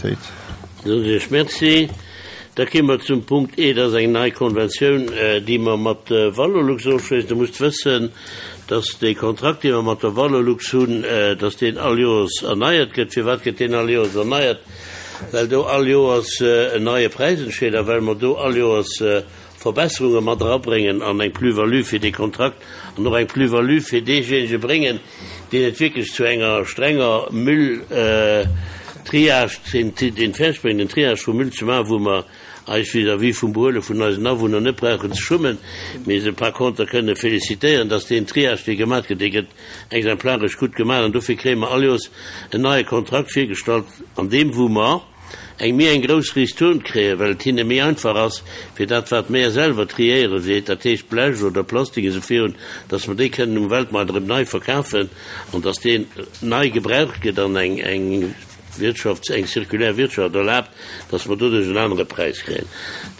Unanimitéit. Soen ech Iech Merci. Da kéime mer zum Punkt E, dat ass eng nei Konventioun, déi mer mat Valorlux ofschléissen. Der musst wëssen, dass dee Kontrakt, dee mer mat der Valorlux hunn, dass deen all Joers erneiert gëtt. Firwat gëtt deen all Joers erneiert? Well do all Joers en neie Präis entsteet a well mer do all Joers Verbesserunge mat erabréngen an eng Plus-value fir dee Kontrakt an och eng Plus-value fir deejéinege bréngen, deen et wierklech zu enger strenger Müll-Triage, deen fäerdeg bréngt, den Triage vum Müll ze maachen, wou mer eis vis-à-vis vum Behuele vun eisen Awunner net brauchen ze schummen, mee se par contre kënne félicitéieren, dass deen Triage, dee gemaach gëtt, dee gëtt exemplaresch gutt gemaach an dofir kréie mer all Joers en neie Kontrakt virgestallt, an deem wou mer, eng méi eng grouss Ristourne kréien, well et hinne méi einfach ass, fir dat wat mär selwer triéieren, wéi dat heescht Blech oder Plastik esou virun, dass mer déi kënnen um Weltmaart erëm nei verkafen an dass deen nei gebraucht gëtt an eng eng Wirtschafts-, eng zirkulär Wirtschaft erlaabt, dass mer doduerch en anere Präis kréien.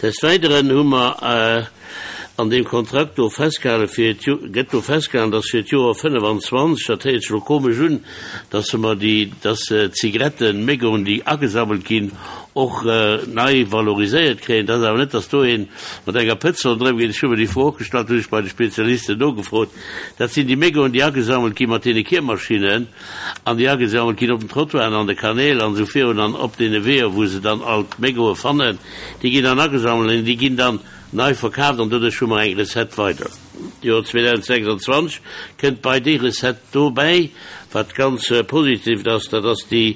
Des Weideren hu mer an deem Kontrakt do festgehalen, fir gëtt do festgehalen, dass fir d'Joer 25, dat héiert sech elo komesch un, dass mer déi, dass d'Zigaretten, Mégoen, déi agesammelt ginn, och nei valoriséiert kréien. Dat ass awer net, dass do ee mat enger Pëtz ronderëm geet. Ech hu mer déi Fro och gestallt, hunn ech bei de Spezialisten nogefrot. Dat sinn déi Mégoen, déi agesammelt gi mat deene Kiermaschinnen an déi agesammelt ginn op den Trottoiren, an de Kanäl an esou virun an op deene Weeër, wou se dann all d'Mégoe fannen. Déi ginn dann agesammelt an déi ginn dann nei verkaaft an doduerch hu mer eng Recette weider. D'Joer 2026 kënnt bei déi Recette dobäi, wat ganz positivt ass, dat ass déi,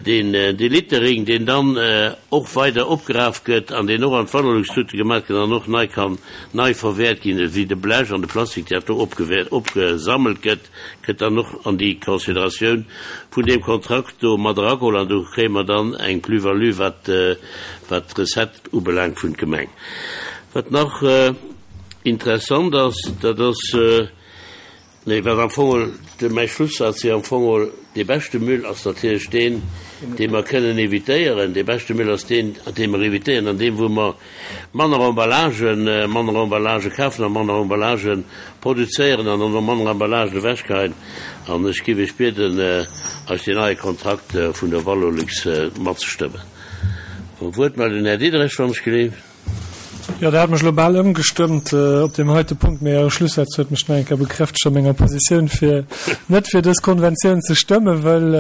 deen, dee Littering, deen dann och weider opgeraf gëtt an deen och an d'Valorlux-Tute gemaach gëtt an och nei kann nei verwäert ginn, esou wéi de Blech an de Plastik, dat do opgewäert, opgesammelt gëtt. Gëtt dann och an déi Consideratioun vun deem Kontrakt do mat erageholl an do kréie mer dann eng Plus-value, wat, wat d'Recette ubelaangt vun d'Gemeng. Wat nach interessant ass, dat ass, nee, wat am Fong geholl de, mäi Schlussaz wier am Fong geholl, Dee beschte Müll ass natierlech deen, dee mer kënnen évitéieren. Dee beschte Müll ass deen, dee mer évitéieren an deem, wou mer manner Emballagen, manner Emballagë kafen a manner Emballagë produzéieren an dann och manner Emballagen ewechgeheien. An ech géif Iech bieden, eis deen neie Kontrakt vun der Valorlux matzestëmmen. Wuertmeldung, Här Diderich, wann ech geleeft. Jo, Der hat mech elo bal ëmgestëmmt op deem heite Punkt, mee Äre Schlussaz huet mech nach eng Kéier bekräftegt a menger Positioun, fir net fir dës Konventioun ze stëmmen, wëll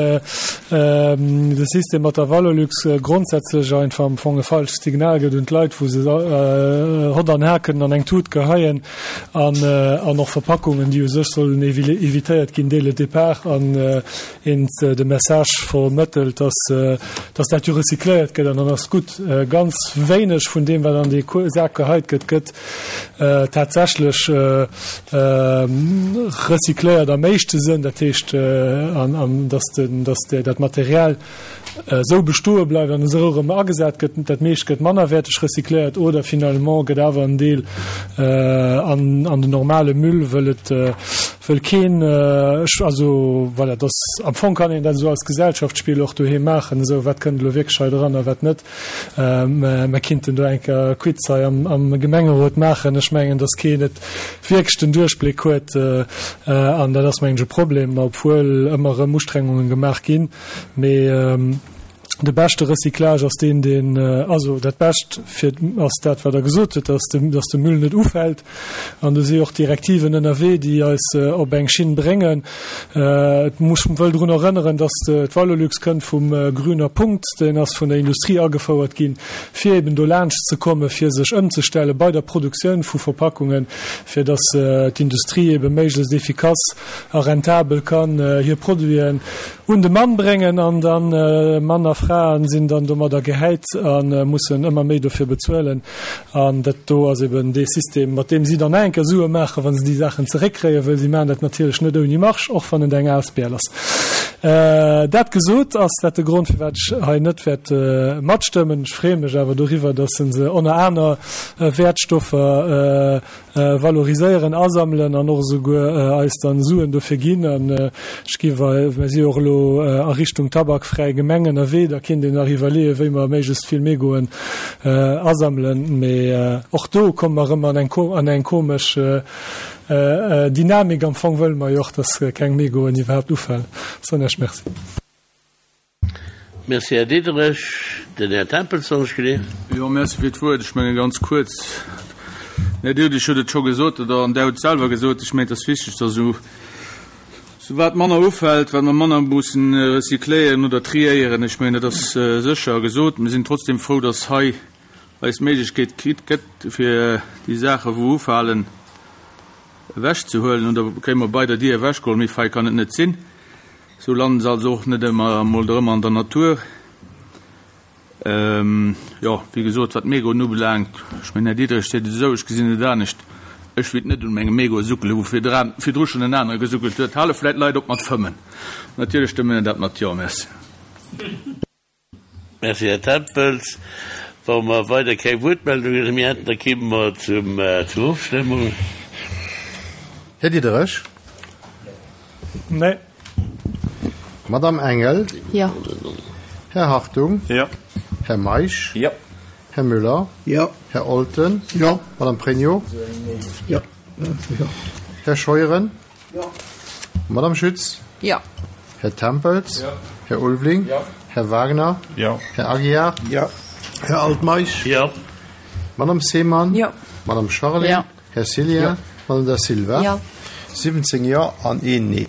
de System mat der Valorlux grondsätzlech einfach am Fong e falscht Signal gëtt un d'Leit, wou se Hott an Har kënnen an eng Tut geheien an och Verpackungen, déi u sech sollen évitéiert ginn dès le départ. An een de Message vermëttelt, dass, dass dat jo recycléiert gëtt an dann ass gutt. Ganz wéineg vun deem, wat an dee Sak geheit gëtt, gëtt tatsächlech recycléiert am éischte Sënn, dat heescht, an, an dass den, dass dat Material esou bestoe bleift an esou erëm agesat gëtt. Dat meescht gëtt mannerwäerteg recycléiert oder finalement gëtt awer en Deel an, an den normale Müll, wëll et, wëll keen, ech, also voilà, dass am Fong kann een dat esou als Gesellschaftsspill och doheem maachen, esou wat kënnt elo wierklech hei dran a wat net. Mer kinnten do eng Kéier e Quiz hei am, am Gemengerot maachen. Ech mengen, dass keen et wierklech den Duerchbléck huet an dat ass mengen ech e Problem, obwuel ëmmer erëm Ustrengungen gemaach ginn. Mee de beschte Recyclage ass deen, deen, also dat Bescht fir ass dat, wat Der gesot hutt, dass de, dass de Müll net ufält. An do si och Direktiven ënnerwee, déi eis op eng Schinn bréngen. Et muss, wëll drun erënneren, dass d'Valorlux kënnt vum Grüner Punkt, deen ass vun der Industrie agefouert ginn, fir eben do laanscht ze kommen, fir sech ëmzestelle bei der Produktioun vu Verpackungen, fir dass d'Industrie ebe méiglechst efficace a rentabel kann hir Produiten un de Mann bréngen an dann Mann a Fraen sinn dann domadder gehäit a mussen ëmmer méi dofir bezuelen. An dat do ass eben dee System, mat deem si dann nach eng Kéier Sue maachen, wa se déi Saachen zeréckkréien, wëll si maachen dat natierlech net ouni Marge, och wann et eng Asbl ass. Dat gesot, ass dat de Grond, firwat ech hei net wäert matstëmmen. Ech freeë mech awer doriwwer, dass se se ënner aner Wäertstoffer valoriséieren, asammelen an och esouguer eis dann Suen dofir ginn. An ech gi well, mer si jo och elo a Richtung tabakfräi Gemeng ënnerwee, da kéint een nach iwwerleeën, wéi mer méiglechst vill Mégoen asammelen. Mee och do komme mer erëm an eng an eng komesch Dynamik. Am Fong wëlle mer jo och, dass keng Mégoen iwwerhaapt ufalen. Soen Iech Merci. Merci, Här Diderich. Den Här Tempels, wann ech geleeën. Jo, merci fir d'Wuert. Ech menge ganz kuerz, den Här Diderich huet et scho gesot, oder an Der hutt et selwer gesot, ech mengen, et ass wichteg, dass esou, esou wat manner ufält, wat mer manner mussen recycléieren oder triéieren. Ech mengen, dat ass sécher gesot. Mir sinn trotzdem frou, dass hei eis d'Méiglechkeet kritt gëtt, fir déi Saache wou ufalen, ewechzehuelen. Oder kréie mer bei der Dier ewechgeholl. Méi fei kann et net sinn. Sou landen se also och net ëmmer emol erëm an der Natur. Jo, wéi gesot, wat d'Megoen ubelaangt, ech mengen, Här Diderich seet et esou, ech gesinn et anescht, ech wéilt net un mengem Mégot suckelen, wou virdru schonn en anere gesuckelt huet. Hale vläit Leit op mat fëmmen. Natierlech stëmme mir dat mat Jo. Merci. Merci, Här Tempels. Wa mer weider keng Wuertmeldungen méi hätten, da kéime mer zur Ofstëmmung. Här Diderich? Nee. Madame Engel? Jo. Här Hartung? Jo. Här Meisch? Jo. Här Müller? Jo. Här Olten? Jo. Madame Pregno? Jo. Här Scheuren? Jo. Madame Schütz? Jo. Här Tempels? Jo. Här Ulveling? Jo. Här Wagner? Jo. Här Aguiar? Jo. Här Altmeisch? Jo. Madame Seemann? Jo. Madame Charlé? Jo. Här Cillien? Jo. Madame Da Silva? Jo. 17 Jo an een Nee.